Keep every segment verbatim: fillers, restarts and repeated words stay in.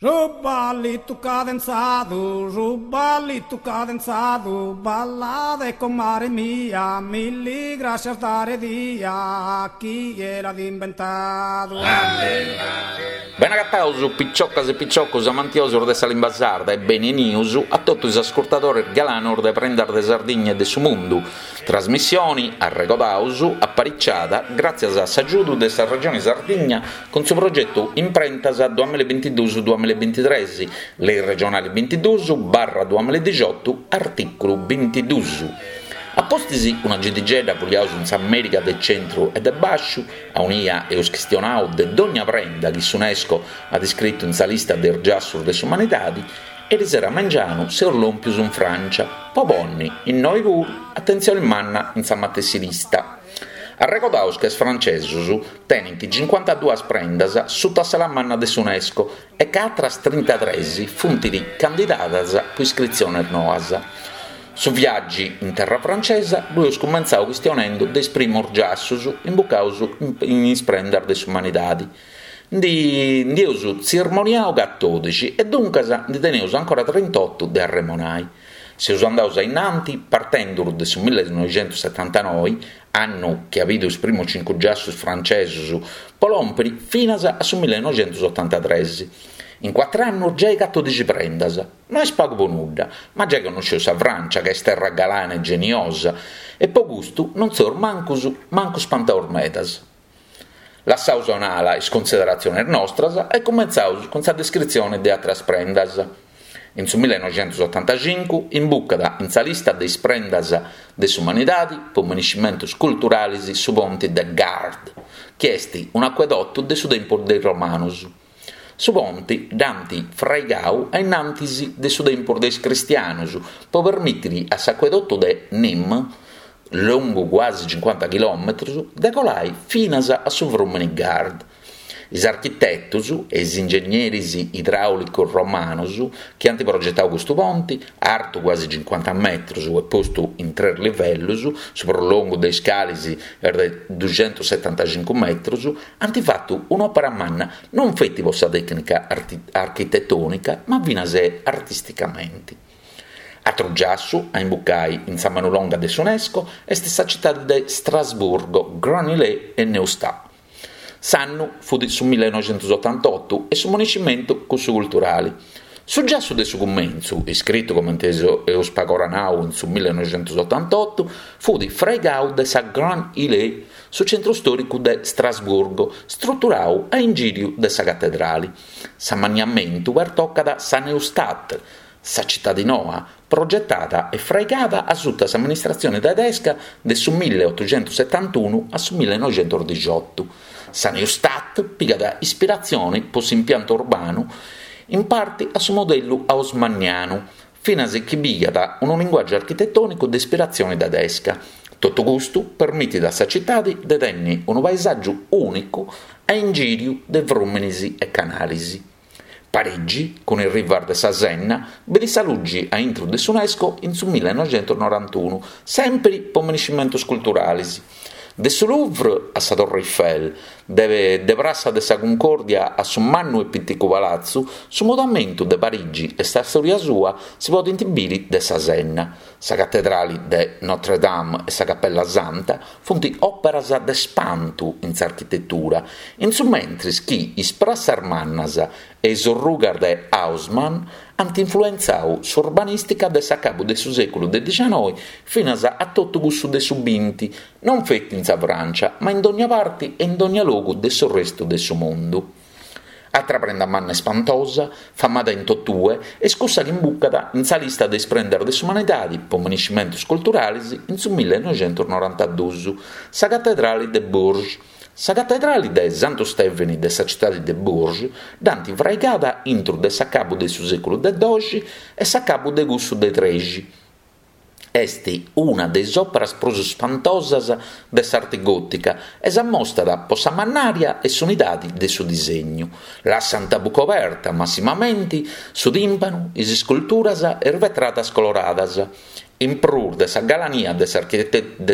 Su ballitu cadenzadu, su ballitu cadenzadu, ballade comare mia, milli grascias dare dia, chie l'at imbentadu. Bene agataus piciocas e piciocos amantiosos de sa limba sarda e bene 'enius a totu is ascurtadores galanos de Prendas de Sardigna e de su Mundu, trasmissione, arregodaus, apariciada gràtzias a s'agiudu de sa Regione Sardigna cun su progetu Imprentas duamilla e bintiduus duamilla e bintitres, Lei regionale bintiduus barra duamilla e dixiotu, artìculu bintiduus. A pustis una gidigedda fuliaus in s'Amèrica de centru e de bàsciu, aunia eus chistionau de dogna prenda chi s'Unesco at iscritu in sa lista de is giassus de s'umanidadi, erisero a mengianu seus lòmpius in Frància po ponni, innoi puru, atentzioni manna in sa matessi lista. Arregodaus ca is francesus tenint cincuantaduas prendas suta s'ala manna de s'Unesco e ca atras trintatres funt candidadas po iscritziones noas. Su viàgiu in terra francesa ddu eus cumentzau chistionendu de is primus giassus imbucaus in is prendas de s'umanidadi. Ndi ndi eus tzirmoniau catòdixi e duncas ndi teneus ancora trintotu de arremonai. Seus andaus a innanti partenduru de su millenoixentussetantanoi, annu chi at bidu is primus cincu giassus francesus, po lòmpiri finas a su millenoixentusotantatres. In cuatru annus giai catòdixi prendas. No est pagu po nudda, ma giai connosceus sa Frància ca est terra galana e geniosa e po custu non seus mancus mancu spantaus medas. Lassaus a un'ala is cunsideratziones nostras e cumentzaus cun sa descritzione de àteras prendas. In su millenoixentusotantacincu imbucat in sa lista de is prendas de s'umanidadi po miniscimentos culturales su ponti de Gard, chi est un'acuedotu de su tempus de is romanos. Su ponti dd'ant fraigau a in antis de su tempus de is cristianos po permìtere a s'acuedotu de Nîmes, longu cuasi cincuanta chilòmetros, de colai finas a su frùmene Gard. Is architetos e is ingegneris idràulicos romanos chi ant progetadu custu ponti, artu cuasi cincuanta metros e postu in tres livellos, su prus longu de is cales est de duxentussetantacincu metros, ant fatu un'òpera manna non feti pro sa tècnica architetònica ma finas artisticamenti. Atru giassu a imbucai in sa manu longa de s'Unesco est sa citade de Strasburgo, Grand Île e Neustadt. S'annu fut su millenoixentusotantotu e su moniscimentu cussu culturali. Su giassu de su cumentzu, iscritu comente eus pagora nau in su millenoixentusotantotu, fut fraigau de sa Grand Île, su centru stòricu de Strasburgo, struturau a ingìriu de sa catedrali. S'amanniamentu pertocat sa Neustadt, sa citadi noa, progetada e fraigada a suta s'amministratzione tedesca de su milleotuxentusetantunu a su millenoixentusdixiotu. Sa Neustadt pigat ispiratzione pro s'impiantu urbanu in parte a su modellu haussmannianu, finas chi pigat unu linguàgiu architetònicu de ispiratzione tedesca. Totu custu permitit a sa citade de tènnere unu paesàgiu ùnicu a ingìriu de frùmenes e canales. Parigi, cun is rivas de sa Senna, bidet sa luge a intro de s'Unesco in su millenoixentusnorantunu, semper pro miniscimentos culturales. De su Louvre a sa Torre Eiffel, de de Prassa de sa Cuncòrdia a su mannu e piticu palatzu, su mudamentu de Parigi e sa stòria sua si podent biri de sa Senna. Sa catedrale de Notre Dame e sa Capella Santa funt òperas de spantu in s'architetura, in su mentres chi is prassas mannas e is orrugas de Haussmann ant influentzadu s'urbanìstica de s'acabu de su sèculu de dicianoi finas a totu cussu de su binti, non feti in sa Frància, ma in dogna parte e in dogna logu de su restu de su mundu. Atra prenda manna ispantosa, famada in totue, est cussa chi imbucat in sa lista de is prendas de s'umanidade po miniscimentos culturales in su millenoixentusnorantaduus, sa catedrale de Bourges. Sa catedrale de Santu Stèveni de sa citade de Bourges dd'ant fraigada intro de s'acabu de su sèculu de doxi e s'acabu de cussu de trexi. Est una de is òperas prus ispantosas de s'arte gòtica e s'ammostat pro sa mannària e s'unidade de su disegnu. Lassant a buca oberta, massimamente, su tìmpanu, is isculturas e is vetradas coloradas. In prus de sa galania de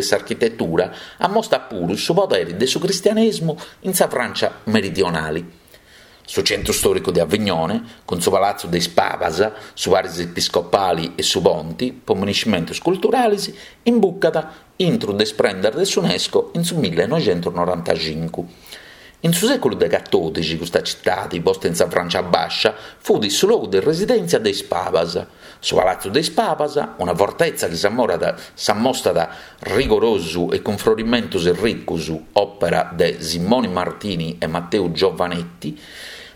s'architetura, ammostat puru su podere de su cristianèsimu in sa Frància meridionale. Su centru stòricu de Avignone, cun su Palatzu de is Pabas, su Paris Episcopali e su Ponti, po miniscimentus culturalis, imbucat intru de is prendas de s'UNESCO in su millenoixentusnorantacincu. In su sèculu de catòdixi custa citadi, posta in sa Frància Bàscia, fut su logu de residèntzia de is Pabas. Su Palatzu de is Pabas, una fortetza chi s'ammostat rigorosu e cun frorimentus ricus, òpera de Simoni Martini e Matteu Giovanetti,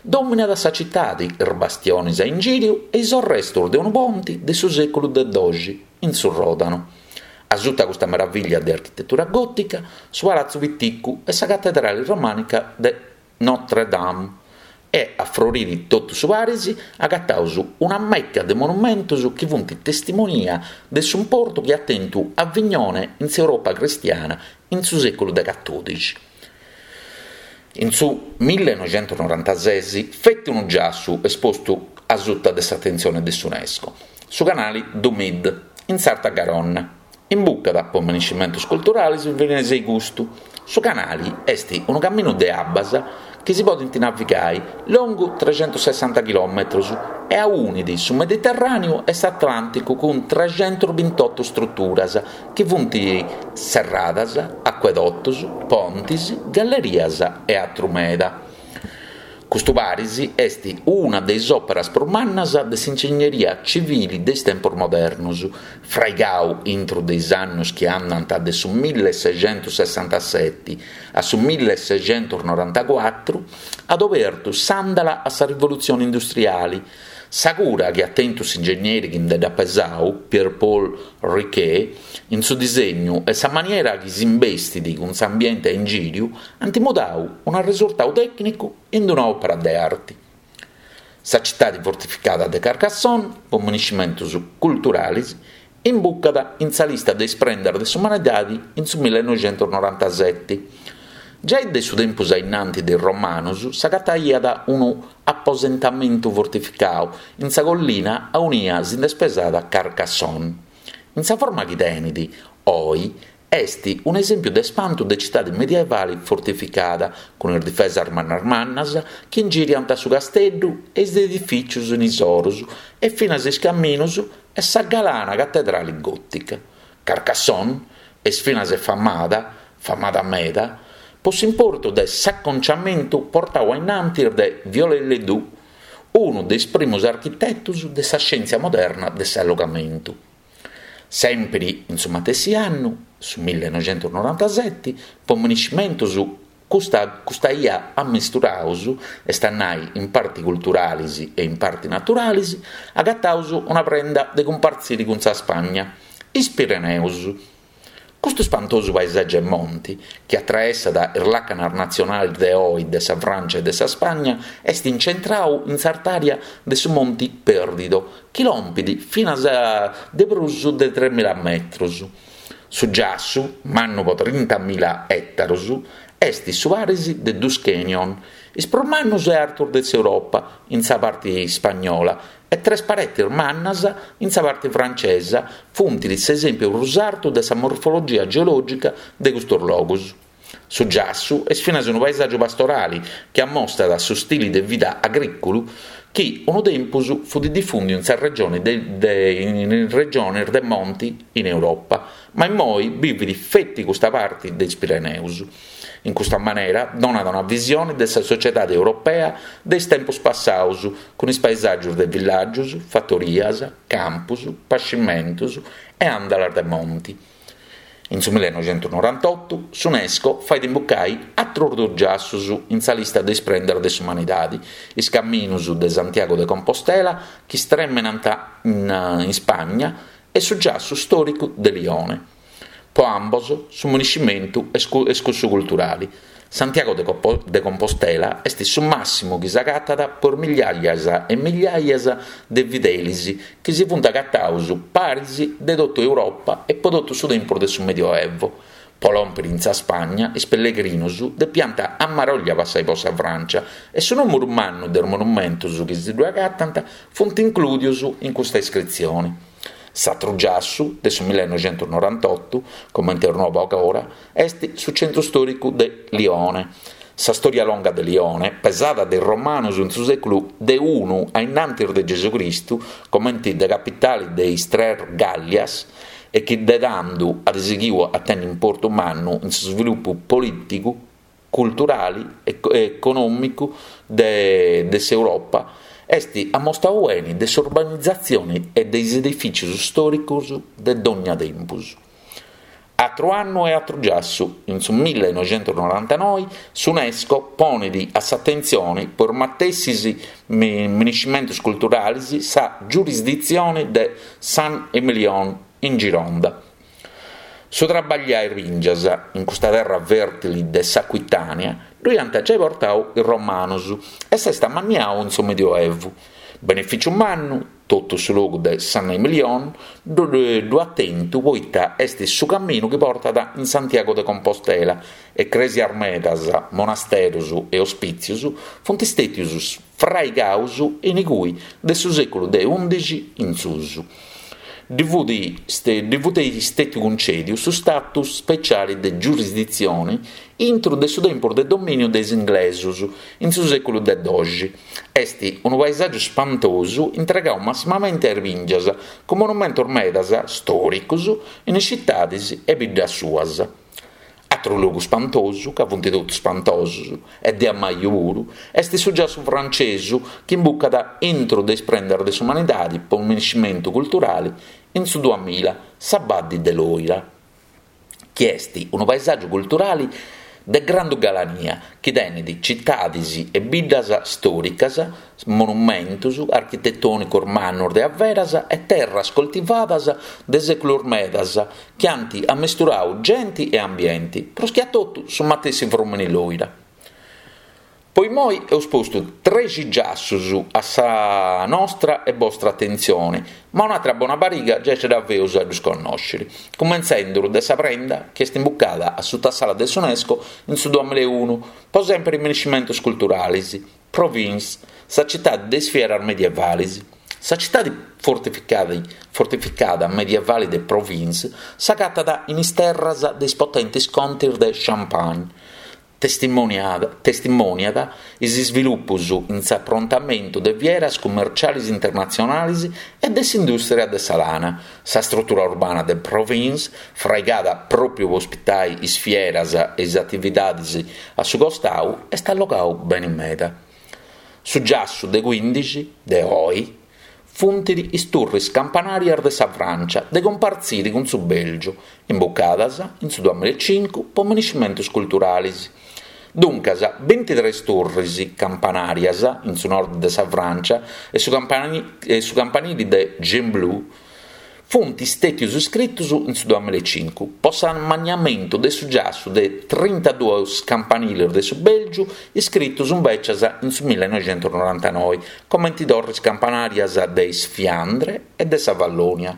dòminat sa citadi, is bastionis a ingìriu e is arrestus de unu ponti de su sèculu de doxi in su Ròdano. A suta custa meravìllia de architetura gòtica, su Palatzu Piticu e sa catedrali romànica de Notre Dame. E a froriri totu su paris agataus una mecca de monumentus chi funt testimonia de s'importu chi at tentu Avignone in s'Europa cristiana in su sèculu de catòdixi. In su millenoixentusnorantases feti unu giassu est postu a suta de s'atentzione de s'UNESCO, su canali du Midi, in s'Arta Garonna. Imbucat po miniscimentus culturalis finas e custu. Su canali est unu caminu de abbas chi si podint navigai longu trexentusessanta chilòmetrus e aunit su Mediterràneu e s'Atlànticu cun trexentusbintotu struturas chi funt serradas, acuedotus, pontis, gallerias e atru meda. Custu paris est una de is òperas prus mannas de s'ingegneria civili de is tempos modernos, fraigau intro de is annos chi andant de su milleseixentusessantaseti a su milleseixentusnorantacuatru, at obertu s'àndala a sa rivolutzione industriale. Sa cura chi at tentu s'ingegneri chi nde dd'at pesau, Pierre-Paul Riquet, in su disegnu e sa maniera chi s'imbestit cun s'ambiente a ingìriu ant mudau unu resurtadu tècnicu in una òpera de arte. Sa citade fortificada de Carcassonne, po miniscimentus culturales, imbucat in sa lista de is prendas de s'umanidade in su millenoixentusnorantaseti. Giai de su tempus ainnanti de is Romanos s'agataiat unu aposentamentu fortificadu in sa collina aunia si nd'est pesada Carcassonne. In sa forma chi tenet oi est un'esèmpiu de spantu de citade medievale fortificada, cun is difesas mannas mannas chi ingiriant su casteddu e is edifìtzios in is oros e finas is caminos e sa galana catedrale gòtica. Carcassonne est finas famada, famada meda, po s'importu de s'aconciamentu portadu ainnantis de Viollet-le-Duc, unu de is primos architetos de sa scièntzia moderna de s'allogamentu. Sempre in su matessi annu, su millenoixentusnorantaseti, po miniscimentus custa, custa ia ammisturaus, est a nai in parti culturales e in parti naturales, agataus una prenda de cumpartzire cun sa Spagna, is Pireneus. Custu spantosu paesàgiu e monti, chi atraessat is làcanas natzionales de oi de sa Frància e de sa Spagna, est incentradu in s'artària de su Monti Perdido, chi lompit finas a de prus de tremila metros. Su giassu, mannu po trintamila ètaros, est su paris de dus canyon, is prus mannos e artos de s'Europa, in sa parte ispagnola, e tres paretes mannas in sa parte francesa funt s'esèmpiu prus artu de sa morfologia geològica de custos logos. Su giassu est finas unu paesàgiu pastorale chi ammostat su stile de vida agrìculu chi unu tempus fut difùndiu in sa regione de, de, in regiones de monti in Europa, ma immoi bivit feti custa parte de is Pireneus. In custa manera donat una visione de sa sociedade europea de is tempos passados, cun is paesàgios de villàgios, fatorias, campos, pascimentos e àndalas de monti. In su millenoixentusnorantotu s'UNESCO fait imbucai atros dus giassus in sa lista de is prendas de s'umanidade, is caminos de Santiago de Compostela chi stremenant in, in Spagna e su giassu stòricu de Lione. Po ambos su miniscimentu est cussu culturale. Santiago de Compostela est su màssimu chi s'agatat por migliaias e migliaias de fidelis chi si funt agatados paris de totu Europa e po totu su tempus de su Medioevo. Po lòmpere in sa Spagna, is pellegrinos depiant a maroglia passai po sa Francia e su nùmeru mannu de is monumentos chi si ddu agatant funt inclùdios in custa iscritzione. S'atru giassu de su millenoixentusnorantotu, comente est nobu agora, est su centru stòricu de Lione. Sa storia longa de Lione, pesada de is romanus in su sèculu de unu a innantis de Gesucristu, comenti de capitali de is tres Gàllias, e chi de tandu at sighiu a tenni importu mannu in su svilupu polìticu, culturali e econòmicu de de s'Europa, est ammostau beni de s'urbanizatzioni e de is edifìtzius stòricus de dònnia tempus. Atru annu e atru giassu, in su millenoixentusnorantanoi s'Unesco ponit a s'atentzioni po is matessis miniscimentus culturalis sa giurisditzioni de Saint-Émilion in Gironda. Su trabagliai is bìngias in custa terra fèrtili de s'Aquitània ddu iant giai portau is romanus e s'est amanniau in su Medioevu. Benefìciu mannu, totu su logu de Saint-Émilion ddu at tentu poita est su caminu chi portat in Santiago de Compostela e crèsias medas, monasterus e ospìtzius funt stètius fraigaus in igui de su sèculu de ùndixi in susu. Ddi fut ddi fut stètiu cuncèdiu su status speciali de giurisditzioni intru de su tempus de domìniu de is inglesus in su sèculu de doxi. Est unu paesàgiu spantosu intregau massimamenti a is bìngias, cun monumentus medas stòricus in is citadis e biddas suas. Atru logu spantosu, ca funt totus spantosus, e de ammaju puru, est su giassu francesu chi imbucat intru de is prendas de s'umanidadi po miniscimentu culturali in su duamilla, sa Baddi de Lòira, chi est unu paesàgiu culturali de grandu galania chi tenit citadis e biddas stòricas, monumentus architetònicos mannus de averas e terras coltivadas de sèculos medas chi ant ammesturau genti e ambienti, prus chi a totu su matessi frùmini Lòira. Po immoi eus postu trexi giassus a sa nostra e bostra atentzioni, ma un'atra bona pariga giai ce dda feus a ddus connòsciri, cumentzendu de sa prenda chi est imbucada a suta s'ala de s'Unesco in su duamilla e unu, po sèmpiri miniscimentus culturalis, Provins, sa citadi de is fieras medievalis. Sa citadi fortificada fortificada medievali de Provins s'agatat in is terras de is potentis contis de Champagne. Testimoniat testimoniat is isvilupos in s'aprontamentu de fieras cummerciales internatzionales e de s'indùstria de sa lana. Sa strutura urbana de Provins, fraigada pròpiu po ospitare is fieras e is atividades a su costau, est allogau bene meda. Su giassu de quindixi, de oi, funt is turris campanàrias de sa Frància de cumpartzire cun su Bèlgiu, imbucadas in su duamilla e cincu po miniscimentos culturales. Duncas, bintitrès turris campanàrias in su nord de sa Frància e su e su campanili de Gembloux funt stètios iscritos in su duamilla e cincu po s'ammaniamentu de su giassu de trintaduos campaniles de su Bèlgiu iscritos invècias in su millenoixentusnorantanoi, comente torres campanàrias de is Fiandre e de sa Vallònia.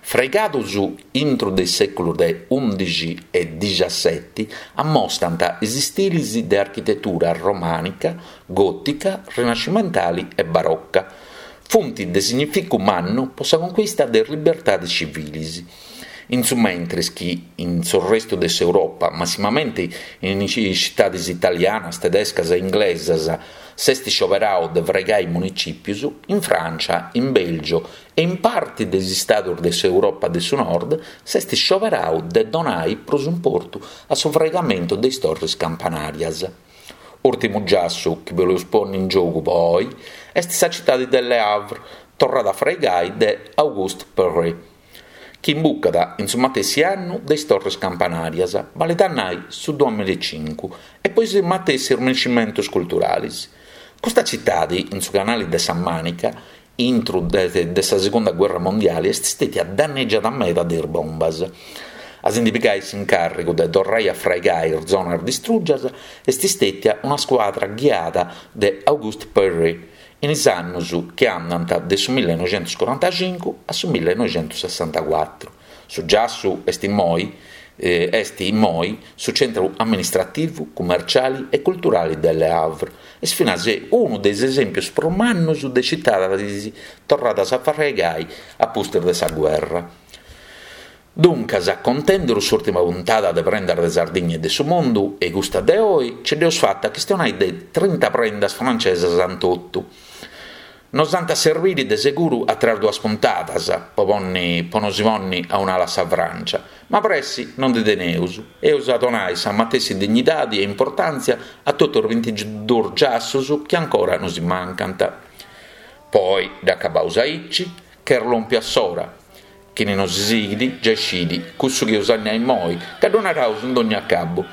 Fraigados intro de is sèculos de ùndixi e diciaseti, ammostant is istiles de architetura romànica, gòtica, rinascimentale e baroca. Funt de significu mannu po sa conquista de is libertades civiles. In su mentres chi in su restu de s'Europa, massimamente in is citades italianas, tedescas e inglesas, s'est scioberau de fraigai municìpios, in Frància, in Bèlgio e in parte de is istados de s'Europa de su Nord, s'est scioberau de donare prus importu a su fraigamentu de is torres campanàrias. Ùrtimu giassu chi boleus ponni in giogu po oi est sa citade de Le Havre, torrada a fraigai de Auguste Perret, chi imbucat in su matessi annu de is torres campanàrias, balet a nai su duamilla e cincu, e po is matessi miniscimentos culturales. Custa citade, in su canale de sa Mànica, intro de, de sa Segunda Guerra Mondiale, est stètia danneggiada meda de is bombas. A si ndi pigai s'incàrrigu de torrai a fraigai is zonas distrùgias est stètia una scuadra ghiada de Auguste Perret in is annos chi andant de su millenoixentuscorantacincu a su millenoixentussessantacuatru. Su giassu est immoi est immoi su centru amministrativu, cummerciale e culturale de Le Havre. Est finas unu de is esèmpios prus mannos de citades torradas a fraigai a pustis de sa guerra. Duncas, contendu s'ùrtima puntada de Prendas de Sardigna e de su Mundu e custa de oi, ce dd'eus fata a chistionai de trinta prendas francesas in totu. Nos ant a serbiri de seguru atras duas puntadas po ponni po nosi ponni a un'ala sa Francia, ma pressi non ndi teneus, eus a donai sa matessi dignidadi e importantzia a totu is bintiduus giassus chi ancora nosi mancant. Poi dd'acabaus aici, ch'est lòmpia s'ora. Chini nosi sighit giai scit cussu chi eus a nai immoi, ca ddu naraus in dogna acabu.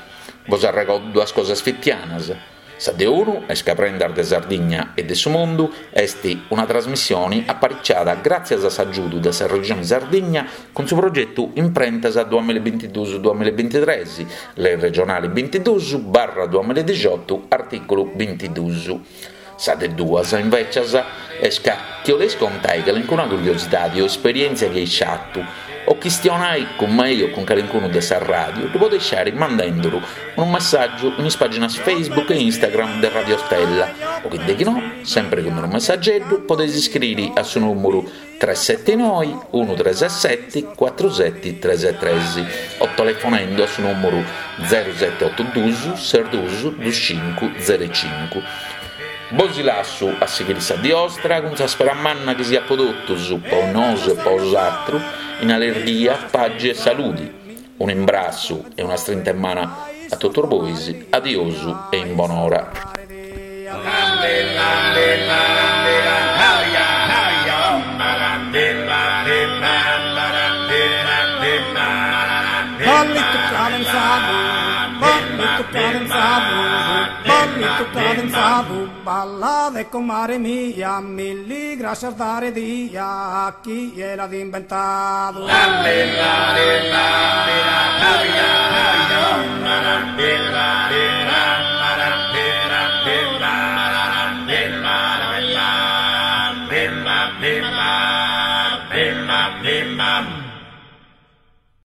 Bos arregordu duas cosas fitianas. Sa de unu est ca Prendas de Sardigna e de su Mundu est una trasmissione apariciada gràtzias a s'agiudu de sa Regione Sardigna cun su progetu Imprentas duamilla e bintiduus duamilla e bintitres, Lei regionale bintiduus barra duamilla e dixiotu artìculu bintiduus. Sa de duas, invècias, est ca chi 'oleis contai calincuna curiosidadi o esperièntzia chi eis fatu, o chistionai cun mei o cun calincunu de sa ràdiu, ddu podeis fàere mandenduru unu messàgiu in is pàginas Facebook e Instagram de Radio Stella, o chi de chi no, sempri cun unu messageddu, podeis iscriri a su nùmeru tres seti noi unu tres seti cuatru seti tres tres o telefonendu a su nùmeru zeru seti otu duus ses duus dus cincu zeru cincu. Bosi lassu a sighiri sa dì 'ostra cun sa spera manna chi siat po totus, po nosu e po 'osatrus, in allerghia, pagi e saludi. Un'imbrassu e una strinta 'e manu a totus bois, adiosu e in bonora. Ballitu cadenzadu, ballitu cadenzadu, ballitu cadenzadu, ballade comare mia, milli grascias dare dia, chie l'at inventadu.